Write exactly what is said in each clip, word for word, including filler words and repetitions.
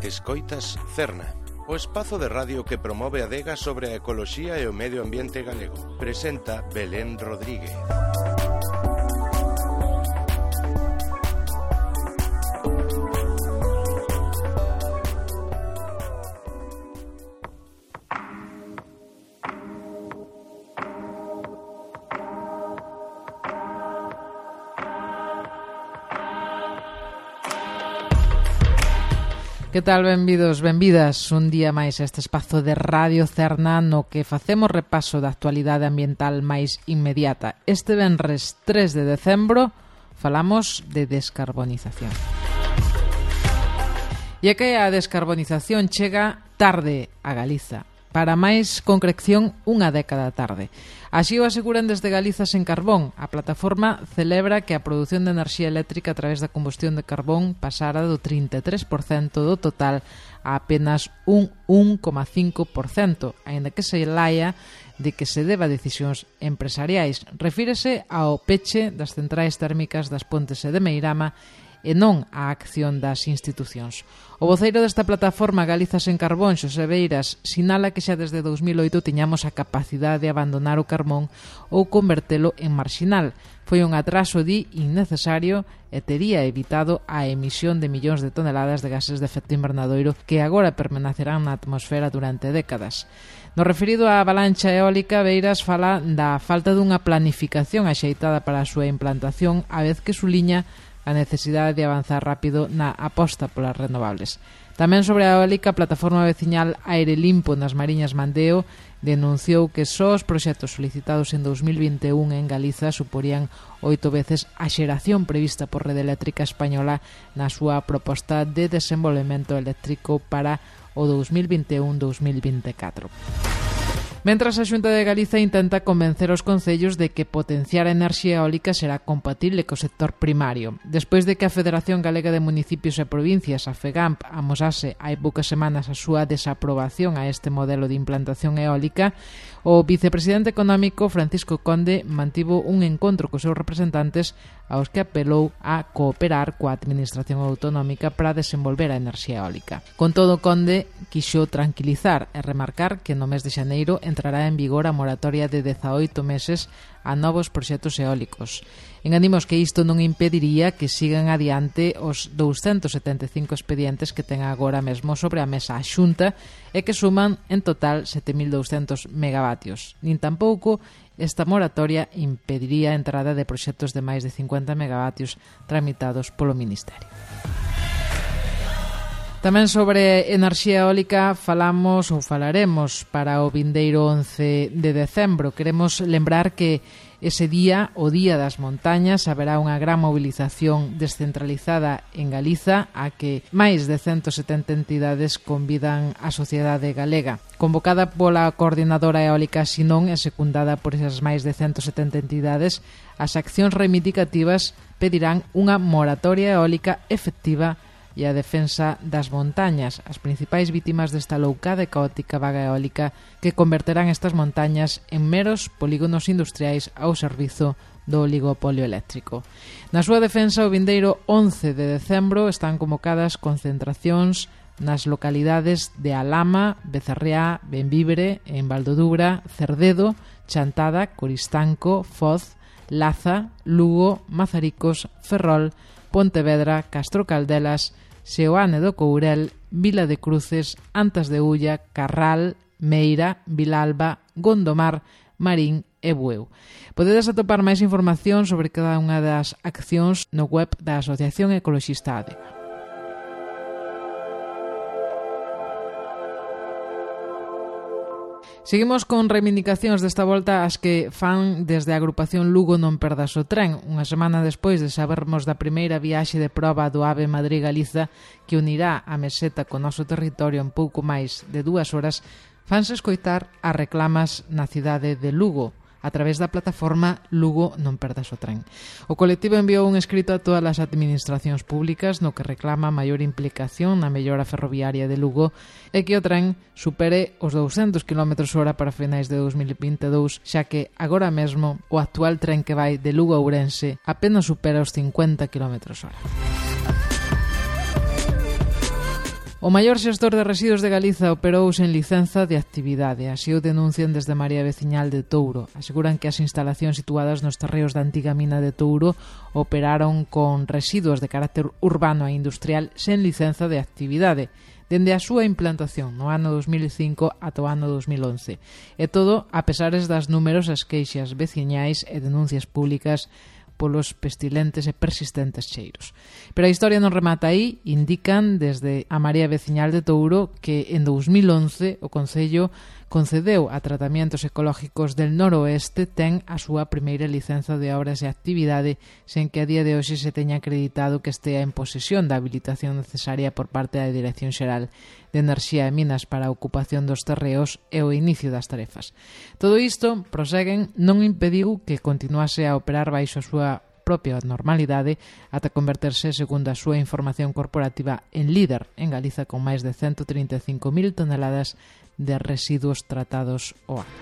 Escoitas Cerna, o espazo de radio que promove a adega sobre a ecoloxía e o medio ambiente galego. Presenta Belén Rodríguez. Que tal, benvidos, benvidas un día máis a este espazo de Radio Cerna no que facemos repaso da actualidade ambiental máis inmediata. Este venres tres de decembro falamos de descarbonización. E é que a descarbonización chega tarde a Galiza, para máis concreción unha década tarde. Así o aseguran desde Galiza Sen Carbón. A plataforma celebra que a produción de enerxía eléctrica a través da combustión de carbón pasara do trinta e tres por cento do total a apenas un un coma cinco por cento, aínda que se laia de que se deba a decisións empresariais. Refírese ao peche das centrais térmicas das Pontes e de Meirama e non á acción das institucións. O voceiro desta plataforma Galiza Sen Carbón, Xosé Beiras, sinala que xa desde dous mil oito tiñamos a capacidade de abandonar o carbón ou convertelo en marxinal. Foi un atraso, di, innecesario e tería evitado a emisión de millóns de toneladas de gases de efecto invernadoiro que agora permanecerán na atmosfera durante décadas. No referido á avalancha eólica, Beiras fala da falta dunha planificación axeitada para a súa implantación, a vez que suliña a necesidade de avanzar rápido na aposta polas renovables. Tamén sobre a eólica, a plataforma veciñal Aire Limpo nas Mariñas Mandeo denunciou que só os proxectos solicitados en dous mil vinte e un en Galiza suporían oito veces a xeración prevista por Rede Eléctrica Española na súa proposta de desenvolvemento eléctrico para o dous mil vinte e un dous mil vinte e catro. Mentras a Xunta de Galiza intenta convencer os concellos de que potenciar a enerxía eólica será compatible co sector primario. Despois de que a Federación Galega de Municipios e Provincias, a FEGAMP, amosase hai poucas semanas a súa desaprobación a este modelo de implantación eólica, o vicepresidente económico Francisco Conde mantivo un encontro cos seus representantes aos que apelou a cooperar coa Administración Autonómica para desenvolver a enerxía eólica. Con todo, Conde quixo tranquilizar e remarcar que no mes de xaneiro entrará en vigor a moratoria de dezaoito meses a novos proxectos eólicos. Enganimos que isto non impediría que sigan adiante os douscentos setenta e cinco expedientes que ten agora mesmo sobre a mesa a Xunta e que suman en total sete mil douscentos megavatios. Nin tampouco esta moratoria impediría a entrada de proxectos de máis de cincuenta megavatios tramitados polo Ministerio. Tamén sobre enerxía eólica falamos ou falaremos para o vindeiro once de decembro. Queremos lembrar que ese día, o Día das Montañas, haberá unha gran movilización descentralizada en Galiza a que máis de ciento setenta entidades convidan a sociedade galega. Convocada pola Coordinadora Eólica Sinón e secundada por esas máis de ciento setenta entidades, as accións reivindicativas pedirán unha moratoria eólica efectiva e a defensa das montañas, as principais vítimas desta loucada e caótica vaga eólica que converterán estas montañas en meros polígonos industriais ao servizo do oligopolio eléctrico. Na súa defensa, o vindeiro once de decembro están convocadas concentracións nas localidades de Alama, Becerreá, Benvibre, en Valdodubra, Cerdedo, Chantada, Coristanco, Foz, Laza, Lugo, Mazaricos, Ferrol, Pontevedra, Castro Caldelas, Seoane do Courel, Vila de Cruces, Antas de Ulla, Carral, Meira, Vilalba, Gondomar, Marín e Bueu. Podedes atopar máis información sobre cada unha das accións no web da Asociación Ecoloxista Adega. Seguimos con reivindicacións desta volta as que fan desde a agrupación Lugo Non Perdas o Tren. Unha semana despois de sabermos da primeira viaxe de proba do AVE Madrid-Galiza que unirá a meseta co noso territorio en pouco máis de dúas horas, fanse escoitar as reclamas na cidade de Lugo a través da plataforma Lugo Non Perdas o Tren. O colectivo enviou un escrito a todas as administracións públicas no que reclama maior implicación na mellora ferroviaria de Lugo e que o tren supere os douscentos quilómetros hora para finais de dous mil vinte e dous, xa que agora mesmo o actual tren que vai de Lugo a Ourense apenas supera os cincuenta quilómetros hora. O maior xestor de residuos de Galiza operou sen licenza de actividade. Así o denuncian desde Marea Veciñal de Touro. Aseguran que as instalacións situadas nos terreos da antiga mina de Touro operaron con residuos de carácter urbano e industrial sen licenza de actividade dende a súa implantación no ano dos mil cinco ata o ano dos mil once. E todo a pesares das numerosas queixas veciñais e denuncias públicas polos pestilentes e persistentes cheiros. Pero a historia non remata aí. Indican desde a Marea Veciñal de Touro que en dos mil once o Concello concedeu a Tratamientos Ecológicos del Noroeste ten a súa primeira licenza de obras e actividade sen que a día de hoxe se teña acreditado que estea en posesión da habilitación necesaria por parte da Dirección Xeral de Enerxía e Minas para a ocupación dos terreos e o inicio das tarefas. Todo isto, proseguen, non impediu que continuase a operar baixo a súa propia normalidade ata converterse, segundo a súa información corporativa, en líder en Galiza con máis de ciento trinta e cinco mil toneladas de residuos tratados ao ano.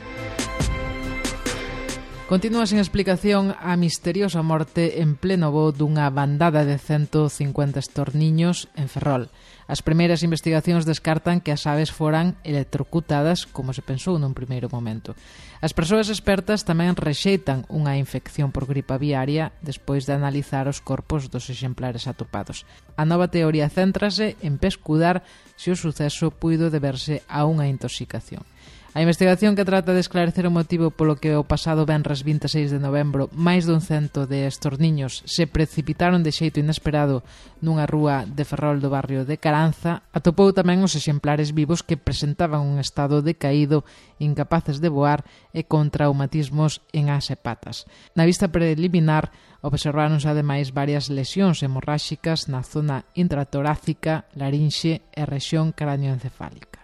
Continúa sen explicación a misteriosa morte en pleno voo dunha bandada de ciento cincuenta estorniños en Ferrol. As primeiras investigacións descartan que as aves foran electrocutadas, como se pensou nun primeiro momento. As persoas expertas tamén rexeitan unha infección por gripe aviaria despois de analizar os corpos dos exemplares atopados. A nova teoría céntrase en pescudar se o suceso puido deberse a unha intoxicación. A investigación que trata de esclarecer o motivo polo que o pasado venres vinte e seis de novembro máis dun cento de estorniños se precipitaron de xeito inesperado nunha rúa de Ferrol do barrio de Caranza atopou tamén os exemplares vivos que presentaban un estado decaído, incapaces de voar e con traumatismos en as e patas. Na vista preliminar observáronse ademais varias lesións hemorráxicas na zona intratorácica, larinxe e rexión cranioencefálica.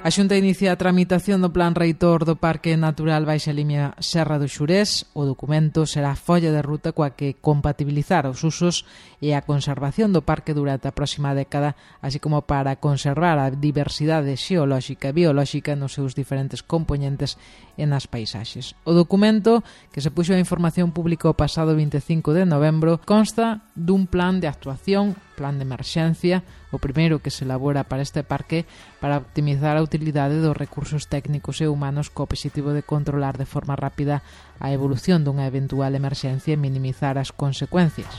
A Xunta inicia a tramitación do Plan Reitor do Parque Natural Baixa Limia Serra do Xurés. O documento será a folla de ruta coa que compatibilizar os usos e a conservación do parque durante a próxima década, así como para conservar a diversidade xeolóxica e biolóxica nos seus diferentes componentes e nas paisaxes. O documento, que se puxo a información pública o pasado vinte e cinco de novembro, consta dun plan de actuación, plan de emerxencia, o primeiro que se elabora para este parque para optimizar a utilidade dos recursos técnicos e humanos co obxectivo de controlar de forma rápida a evolución dunha eventual emerxencia e minimizar as consecuencias.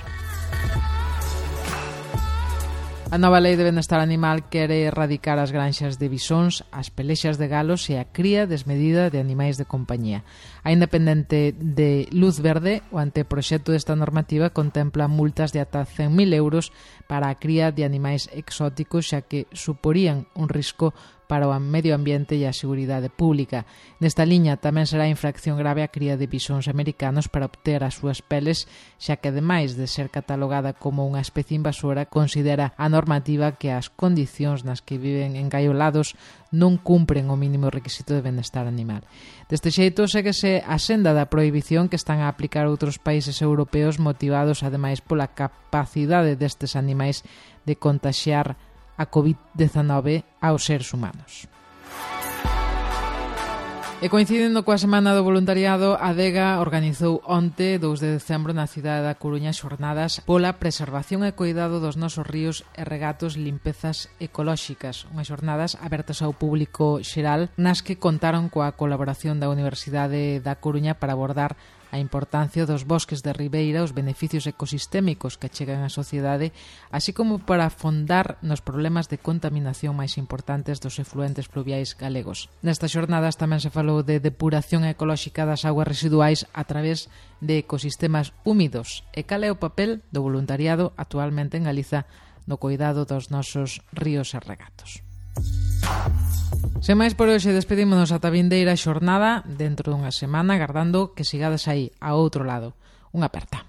A nova Lei de Benestar Animal quere erradicar as granxas de bisóns, as pelexas de galos e a cría desmedida de animais de compañía. A independente de Luz Verde, o anteproxecto desta normativa contempla multas de ata cen mil euros para a cría de animais exóticos, xa que suporían un risco para o medio ambiente e a seguridade pública. Nesta liña tamén será infracción grave a cría de bisóns americanos para obter as súas peles, xa que ademais de ser catalogada como unha especie invasora, considera a normativa que as condicións nas que viven engaiolados non cumpren o mínimo requisito de benestar animal. Deste xeito, séguese a senda da prohibición que están a aplicar outros países europeos, motivados ademais pola capacidade destes animais de contaxiar a covid diecinueve aos seres humanos. E coincidendo coa Semana do Voluntariado, a Adega organizou onte, dous de decembro, na cidade da Coruña, xornadas pola preservación e cuidado dos nosos ríos e regatos, limpezas ecolóxicas. Unhas xornadas abertas ao público xeral, nas que contaron coa colaboración da Universidade da Coruña para abordar a importancia dos bosques de ribeira, os beneficios ecosistémicos que chegan á sociedade, así como para afondar nos problemas de contaminación máis importantes dos efluentes pluviais galegos. Nestas xornadas tamén se falou de depuración ecolóxica das augas residuais a través de ecosistemas húmidos e cal é o papel do voluntariado actualmente en Galiza no cuidado dos nosos ríos e regatos. Sen máis por hoxe, despedímonos ata a vindeira xornada dentro dunha semana, agardando que sigades aí, ao outro lado. Unha aperta.